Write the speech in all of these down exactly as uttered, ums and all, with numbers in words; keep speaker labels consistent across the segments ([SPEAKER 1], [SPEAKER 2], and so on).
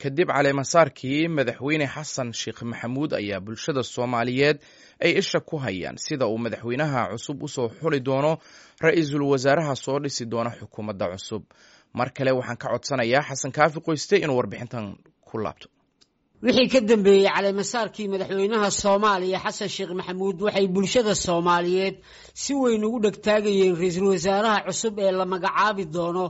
[SPEAKER 1] Kadib caleemasaarkii Madaxweyne Xasan Sheekh Maxamuud ayaa bulshada Soomaaliyeed ay isha ku hayaan sida uu madaxweynaha cusub usoo xuli doono ra-iisul wasaaraha soo dhisi doona xukuumadda cusub. Mar kale waxaan ka codsanayaa Xasan Kaafi Qoyste inuu warbixintan ku laabto.
[SPEAKER 2] Wixii ka dambeeyey caleemasaarkii madaxweynaha Soomaaliya Xasan Sheekh Maxamuud, waxay bulshada Soomaaliyeed si weyn ugu dhegtaagayeen ra-iisul wasaaraha cusub ee la magacaabi doono,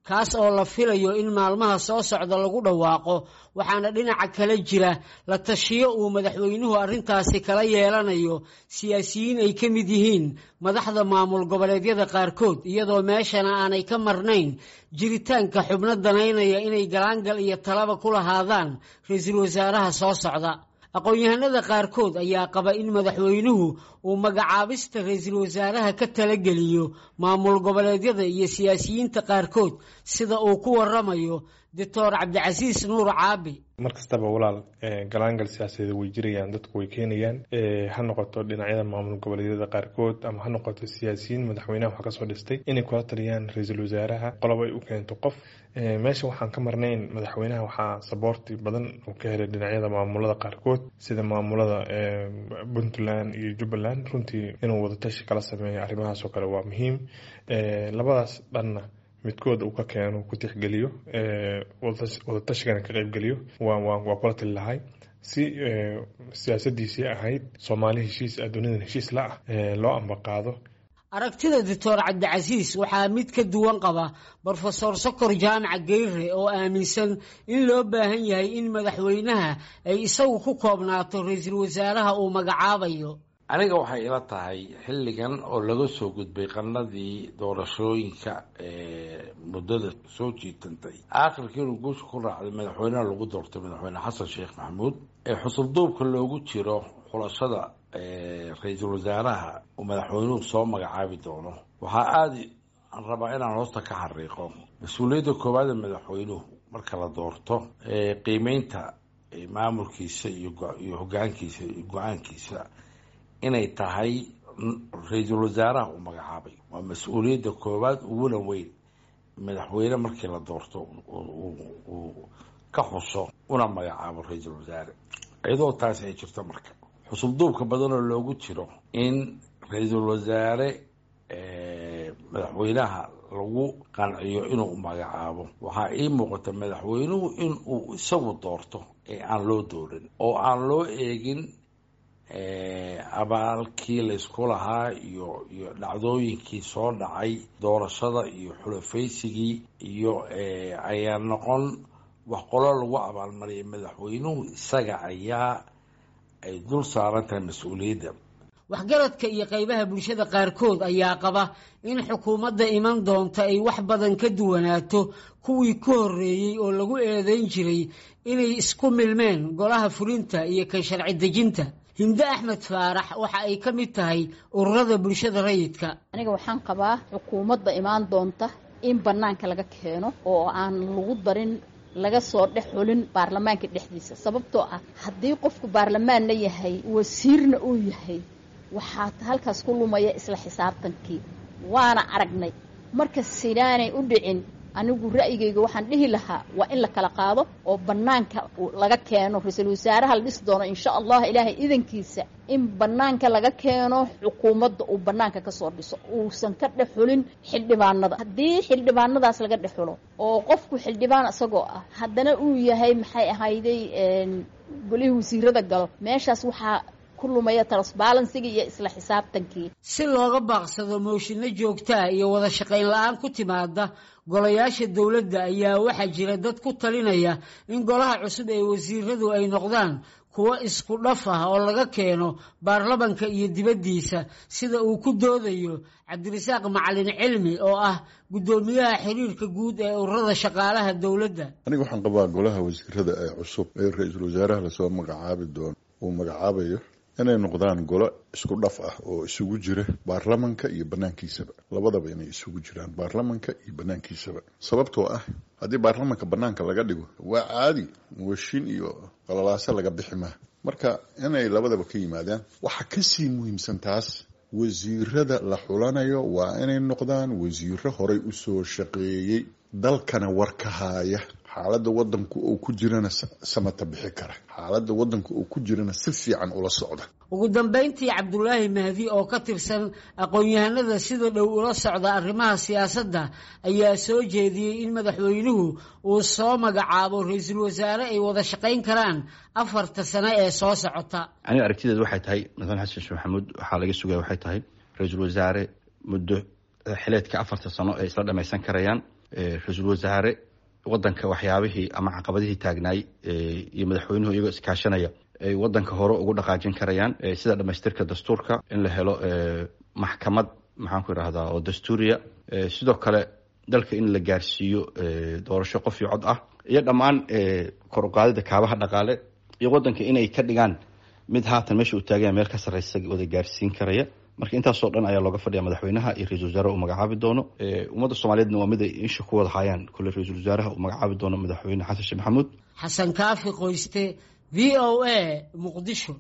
[SPEAKER 2] kaas oo la filayo in maalmaha soo socda lagu dhawaaqo. Waxaana dhinaca kale jira la tashiyo uu madaxweynuhu arrintaasi kala yeelanayo siyaasiyiin ay ka mid yihiin madaxda maamul goboleedyada qaarkood, iyadoo meeshana aanay ka marnayn jiritaanka xubno danaynaya inay galaangal iyo talaba ku lahaadaan ra-iisul wasaaraha soo socda. Aqoon-yahanada qaarkood ayaa qaba in madaxweynuhu uu magacaabista ra-iisul wasaaraha ka talageliyo maamul goboleedyada iyo siyaasiyiinta qaarkood, sida uu ku waramayo Doctor Cabdicasiis Nuur Caabi.
[SPEAKER 3] Mar kastaba, walaal, galaangal siyaasadeed way jirayaan, dadku way keenayaan, ha noqoto dhinacyada maamul goboleedyada qaarkood ama ha noqoto siyaasiyiin madaxweynaha wax kasoo dhistay inay kula taliyaan ra-iisul wasaaraha qolob ay u keento qof. Meesha waxaan ka marnayn madaxweynaha waxaa saboorti badan uu ka helay dhinacyada maamulada qaarkood, sida maamulada Puntland iyo Jubbaland. Runtii inuu wadatashi kala sameeyo arrimahaas oo kale waa muhiim. Labadaas dhanna midkood uu ka keeno, ku tixgeliyo, wadatashigan ka qaybgeliyo, waa kula tali lahay si siyaasadiisii ahayd Soomaali heshiis, adduunyadan heshiis la ah, loo ambaqaado.
[SPEAKER 2] Aragtida Doctor Cabdicasiis waxaa mid ka duwan qaba Brofesor Sokor Jaamac Geyre oo aaminsan in loo baahan yahay in madaxweynaha ay isagu ku koobnaato ra-iisul wasaaraha uu magacaabayo.
[SPEAKER 4] Aniga waxay ila tahay xilligan oo laga soo gudbay qanadii doorashooyinka muddada soo jiitantay, aakhirkii inuu guusha ku raacday madaxweynaha lagu doortay, Madaxweyne Xasan Sheekh Maxamuud, ee xusulduubka loogu jiro xulashada ra-iisul wasaaraha uu madaxweynuhu soo magacaabi doono, waxaa aada aan rabaa inaan hoosta ka xariiqo mas-uuliyadda koowaad ee madaxweynuhu marka la doorto qiimeynta maamulkiisa iyo iyo hogaankiisa iyo go-aankiisa inay tahay ra-iisul wasaaraha uu magacaabay. Waa mas-uuliyadda koowaad uguna weyn madaxweyne markii la doorto uu ka xuso una magacaabo ra-iisul wasaare. Iyadoo taasi ay jirto, marka xusubduubka badanoo loogu jiro in ra-iisul wasaare madaxweynaha lagu qanciyo inuu magacaabo, waxaa ii muuqata madaxweynuhu inuu isagu doorto ee aan loo doorin oo aan loo eegin abaalkii laysku lahaa iyo iyo dhacdooyinkii soo dhacay, doorashada iyo xulafaysigii iyo ayaa noqon wax qolo lagu abaalmariyay. Madaxweynuhu isaga ayaa ay dul saaran tahay mas-uuliyadda.
[SPEAKER 2] Waxgaradka iyo qaybaha bulshada qaarkood ayaa qaba in xukuumadda iman doonta ay wax badan ka duwanaato kuwii ka horreeyey oo lagu eedeyn jiray inay isku milmeen golaha fulinta iyo kan sharci dejinta. Hinde Axmed Faarax waxa ay ka mid tahay ururada bulshada rayidka.
[SPEAKER 5] Aniga waxaan qabaa xukuumadda imaan doonta in bannaanka laga keeno oo aan lagu darin, laga soo dhex xulin baarlamaanka dhexdiisa, sababtoo ah haddii qofku baarlamaanna yahay, wasiirna uu yahay, waxaa halkaas ku lumaya isla xisaabtankii, waana aragnay. Marka sidaanay u dhicin, anigu ra'yigayga waxaan dhihi lahaa waa in la kala qaado oo bannaanka laga keeno ra-iisul wasaaraha la dhisi doono, insha Allah, Ilaahay idankiisa, in bannaanka laga keeno xukuumadda, uu bannaanka kasoo dhiso, uusan ka dhex xulin xildhibaanada. Haddii xildhibaanadaas laga dhex xulo oo qofku xildhibaan isagoo ah haddana uu yahay, maxay ahayday, golihii wasiirada galo, meeshaas waxaa lumaya transparency-ga iyo isla xisaabtankii.
[SPEAKER 2] Si looga baaqsado mooshinno joogtaa iyo wada shaqayn la-aan ku timaada golayaasha dowladda, ayaa waxaa jira dad ku talinaya in golaha cusub ee wasiiradu ay noqdaan kuwo isku dhaf ah oo laga keeno baarlamanka iyo dibaddiisa, sida uu ku doodayo Cabdirasaaq Macalin Cilmi oo ah guddoomiyaha xiriirka guud ee ururada shaqaalaha dowladda.
[SPEAKER 6] Aniga waxaan qabaa golaha wasiirada ee cusub ee ra-iisul wasaaraha lasoo magacaabi doono uu magacaabayo inay noqdaan golo isku dhaf ah oo isugu jira baarlamanka iyo banaankiisaba, labadaba inay isugu jiraan, baarlamanka iyo banaankiisaba, sababtoo ah haddii baarlamanka banaanka laga dhigo waa caadi, mooshin iyo qalalaaso laga bixi maha. Marka inay labadaba ka yimaadaan. Waxaa kasii muhiimsan taas, wasiirada la xulanayo waa inay noqdaan wasiiro horay usoo shaqeeyey, dalkana war ka haaya. Xaaladda wadanku uu ku jirana samata bixi kara, xaaladda wadanka uu ku jirana si fiican ula socda.
[SPEAKER 2] Ugu dambeyntii, Cabdulaahi Mahdi oo ka tirsan aqoon-yahanada sida dhow ula socda arrimaha siyaasadda ayaa soo jeediyey in madaxweynuhu uu soo magacaabo ra-iisul wasaare ay wada shaqayn karaan afarta sano ee soo socota.
[SPEAKER 7] Aniga aragtideed waxay tahay madaxweyne Xasan Sheekh Maxamuud waxaa laga sugaya waxay tahay ra-iisul wasaare muddo xileedka afarta sano ay isla dhamaysan karayaan, ra-iisul wasaare wadanka waxyaabihii ama caqabadihii taagnaay iyo madaxweynuhu iyagoo iskaashanaya ay wadanka hore ugu dhaqaajin karayaan, sida dhamaystirka dastuurka, in la helo maxkamad maxaan ku idhahdaa oo dastuuriya, sidoo kale dalka in la gaarsiiyo doorasho qof iyo cod ah, iyo dhammaan kor uqaadida kaabaha dhaqaale, iyo wadanka inay ka dhigaan mid haatan meesha uu taaganya meel ka sarreysa wada gaarsiin karaya. Marka intaasoo dhan ayaa looga fadhiya madaxweynaha iyo ra-isul wasaaraha uu magacaabi doono. Ummadda soomaaliyeedna waa mid ay insha ku wada haayaan kule ra-iisul wasaaraha uu magacaabi doono madaxweyne Xasan Sheekh Maxamuud.
[SPEAKER 2] Xasan Kaafi Qoyste, V O A, Muqdisho.